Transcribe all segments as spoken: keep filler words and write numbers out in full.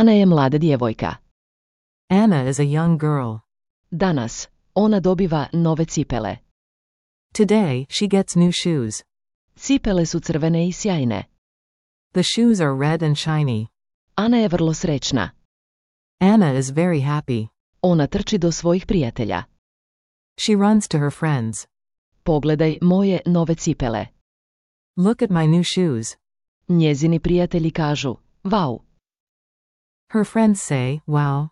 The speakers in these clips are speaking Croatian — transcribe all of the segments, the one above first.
Ana je mlada djevojka. Anna is a young girl. Danas, ona dobiva nove cipele. Today, she gets new shoes. Cipele su crvene i sjajne. The shoes are red and shiny. Ana je vrlo srećna. Anna is very happy. Ona trči do svojih prijatelja. She runs to her friends. Pogledaj moje nove cipele. Look at my new shoes. Njezini prijatelji kažu, vau. Her friends say, wow.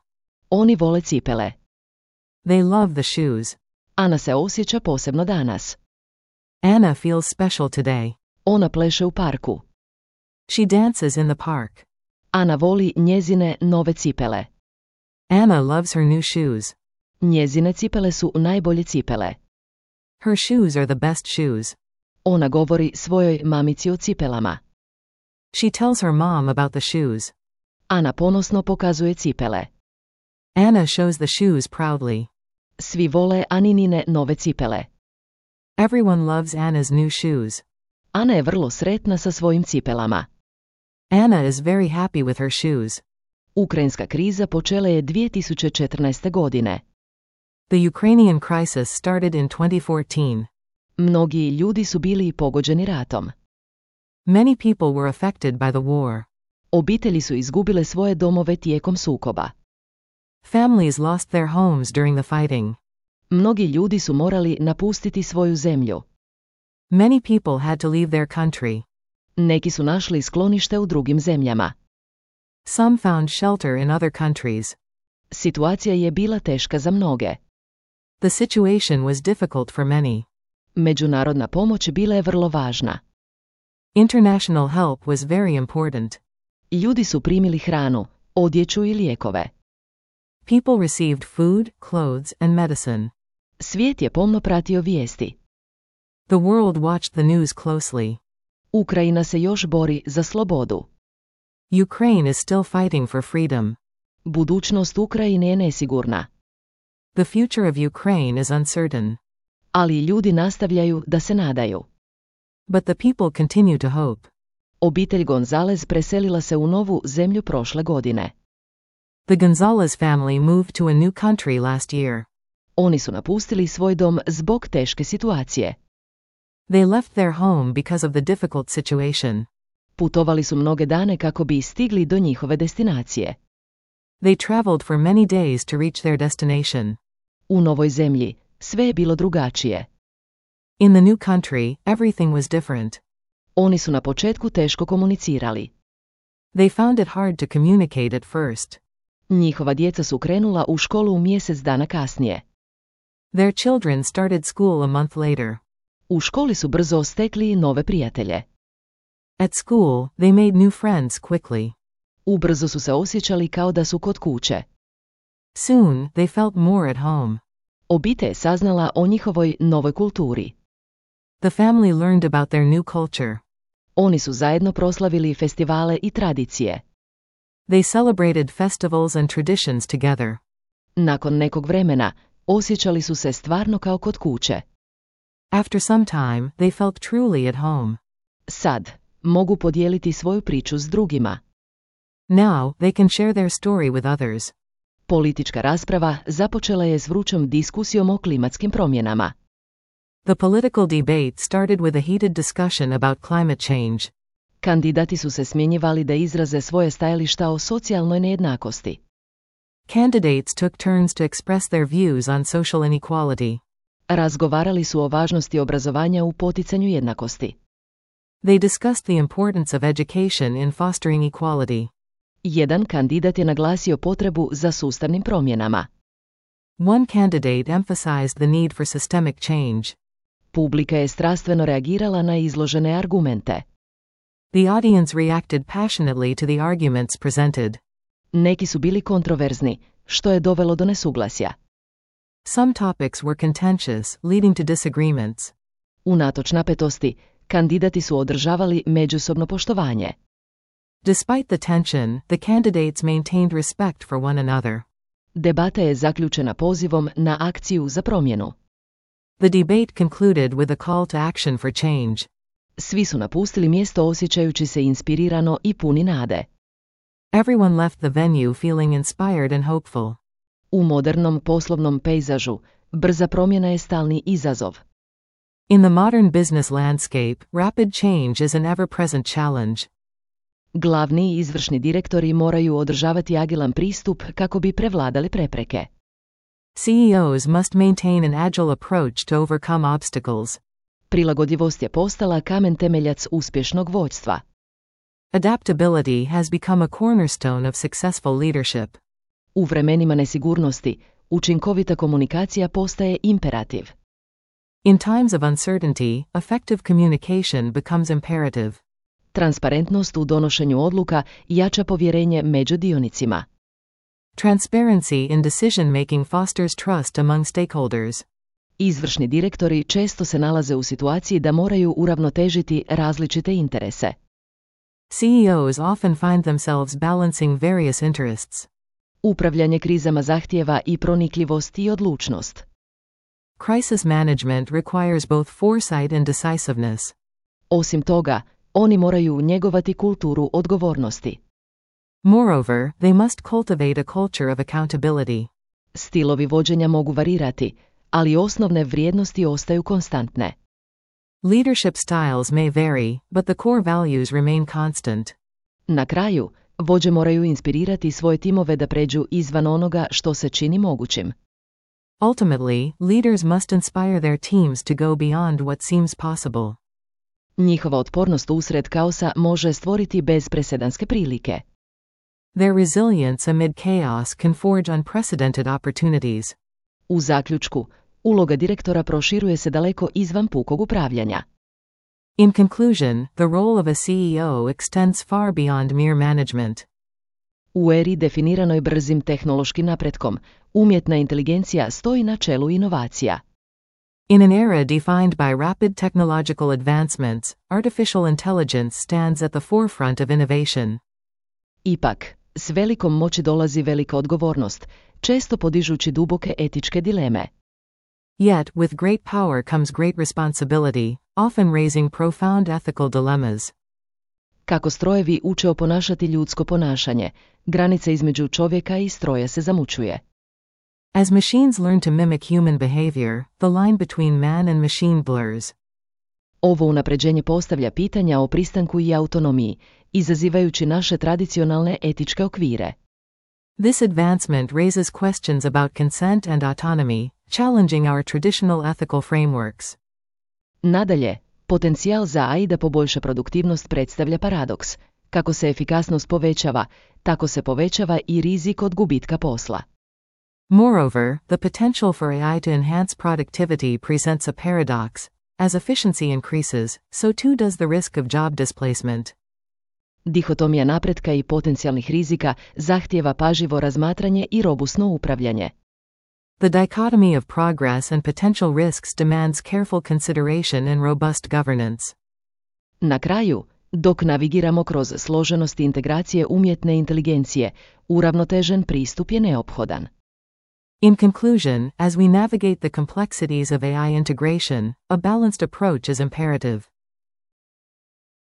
Oni vole cipele. They love the shoes. Ana se osjeća posebno danas. Anna feels special today. Ona pleše u parku. She dances in the park. Ana voli njezine nove cipele. Anna loves her new shoes. Njezine cipele su najbolje cipele. Her shoes are the best shoes. Ona govori svojoj mamici o cipelama. She tells her mom about the shoes. Ana ponosno pokazuje cipele. Anna shows the shoes proudly. Svi vole Aninine nove cipele. Everyone loves Anna's new shoes. Ana je vrlo sretna sa svojim cipelama. Anna is very happy with her shoes. Ukrajinska kriza počela je dvije tisuće četrnaeste. godine. The Ukrainian crisis started in twenty fourteen. Mnogi ljudi su bili pogođeni ratom. Many people were affected by the war. Obitelji su izgubile svoje domove tijekom sukoba. Families lost their homes during the fighting. Mnogi ljudi su morali napustiti svoju zemlju. Many people had to leave their country. Neki su našli sklonište u drugim zemljama. Some found shelter in other countries. Situacija je bila teška za mnoge. The situation was difficult for many. Međunarodna pomoć bila je vrlo važna. International help was very important. Ljudi su primili hranu, odjeću i lijekove. People received food, clothes, and medicine. Svijet je pomno pratio vijesti. The world watched the news closely. Ukrajina se još bori za slobodu. Ukraine is still fighting for freedom. Budućnost Ukrajine je nesigurna. The future of Ukraine is uncertain. Ali ljudi nastavljaju da se nadaju. But the people continue to hope. Obitelj Gonzalez preselila se u novu zemlju prošle godine. The Gonzalez family moved to a new country last year. Oni su napustili svoj dom zbog teške situacije. They left their home because of the difficult situation. Putovali su mnoge dane kako bi stigli do njihove destinacije. They traveled for many days to reach their destination. U novoj zemlji sve je bilo drugačije. In the new country, everything was different. Oni su na početku teško komunicirali. They found it hard to communicate at first. Njihova djeca su krenula u školu u mjesec dana kasnije. Their children started school a month later. U školi su brzo stekli nove prijatelje. At school, they made new friends quickly. Ubrzo su se osjećali kao da su kod kuće. Soon, they felt more at home. Obitelj je saznala o njihovoj novoj kulturi. The family learned about their new culture. Oni su zajedno proslavili festivale i tradicije. They celebrated festivals and traditions together. Nakon nekog vremena, osjećali su se stvarno kao kod kuće. After some time, they felt truly at home. Sad, mogu podijeliti svoju priču s drugima. Now, they can share their story with others. Politička rasprava započela je s vrućom diskusijom o klimatskim promjenama. The political debate started with a heated discussion about climate change. Kandidati su se smjenjivali da izraze svoje stajališta o socijalnoj nejednakosti. Candidates took turns to express their views on social inequality. Razgovarali su o važnosti obrazovanja u poticanju jednakosti. They discussed the importance of education in fostering equality. Jedan kandidat je naglasio potrebu za sustavnim promjenama. One candidate emphasized the need for systemic change. Publika je strastveno reagirala na izložene argumente. The audience reacted passionately to the arguments presented. Neki su bili kontroverzni, što je dovelo do nesuglasja. Some topics were contentious, leading to disagreements. Unatoč napetosti, kandidati su održavali međusobno poštovanje. Despite the tension, the candidates maintained respect for one another. Debata je zaključena pozivom na akciju za promjenu. The debate concluded with a call to action for change. Svi su napustili mjesto osjećajući se inspirirano i puni nade. Everyone left the venue feeling inspired and hopeful. U modernom poslovnom pejzažu, brza promjena je stalni izazov. In the modern business landscape, rapid change is an ever-present challenge. Glavni i izvršni direktori moraju održavati agilan pristup kako bi prevladali prepreke. C E Os must maintain an agile approach to overcome obstacles. Prilagodljivost je postala kamen temeljac uspješnog vođstva. Adaptability has become a cornerstone of successful leadership. U vremenima nesigurnosti, učinkovita komunikacija postaje imperativ. In times of uncertainty, effective communication becomes imperative. Transparentnost u donošenju odluka jača povjerenje među dionicima. Transparency in decision-making fosters trust among stakeholders. Izvršni direktori često se nalaze u situaciji da moraju uravnotežiti različite interese. C E Os often find themselves balancing various interests. Upravljanje krizama zahtijeva i pronikljivost i odlučnost. Crisis management requires both foresight and decisiveness. Osim toga, oni moraju njegovati kulturu odgovornosti. Moreover, they must cultivate a culture of accountability. Stilovi vođenja mogu varirati, ali osnovne vrijednosti ostaju konstantne. Leadership styles may vary, but the core values remain constant. Na kraju, vođe moraju inspirirati svoje timove da pređu izvan onoga što se čini mogućim. Ultimately, leaders must inspire their teams to go beyond what seems possible. Njihova otpornost usred kaosa može stvoriti bezpresedanske prilike. Their resilience amid chaos can forge unprecedented opportunities. U zaključku, uloga direktora proširuje se daleko izvan pukog upravljanja. In conclusion, the role of a C E O extends far beyond mere management. U eri definiranoj brzim tehnološkim napretkom, umjetna inteligencija stoji na čelu inovacija. In an era defined by rapid technological advancements, artificial intelligence stands at the forefront of innovation. Ipak, s velikom moći dolazi velika odgovornost, često podižući duboke etičke dileme. Yet, with great power comes great responsibility, often raising profound ethical dilemmas. Kako strojevi uče oponašati ljudsko ponašanje, granica između čovjeka i stroja se zamućuje. As machines learn to mimic human behavior, the line between man and machine blurs. Ovo unapređenje postavlja pitanja o pristanku i autonomiji, izazivajući naše tradicionalne etičke okvire. This advancement raises questions about consent and autonomy, challenging our traditional ethical frameworks. Nadalje, potencijal za A I da poboljša produktivnost predstavlja paradoks. Kako se efikasnost povećava, tako se povećava i rizik od gubitka posla. Moreover, the potential for A I to enhance productivity presents a paradox. As efficiency increases, so too does the risk of job displacement. Dihotomija napretka i potencijalnih rizika zahtijeva pažljivo razmatranje i robusno upravljanje. The dichotomy of progress and potential risks demands careful consideration and robust governance. Na kraju, dok navigiramo kroz složenosti integracije umjetne inteligencije, uravnotežen pristup je neophodan. In conclusion, as we navigate the complexities of A I integration, a balanced approach is imperative.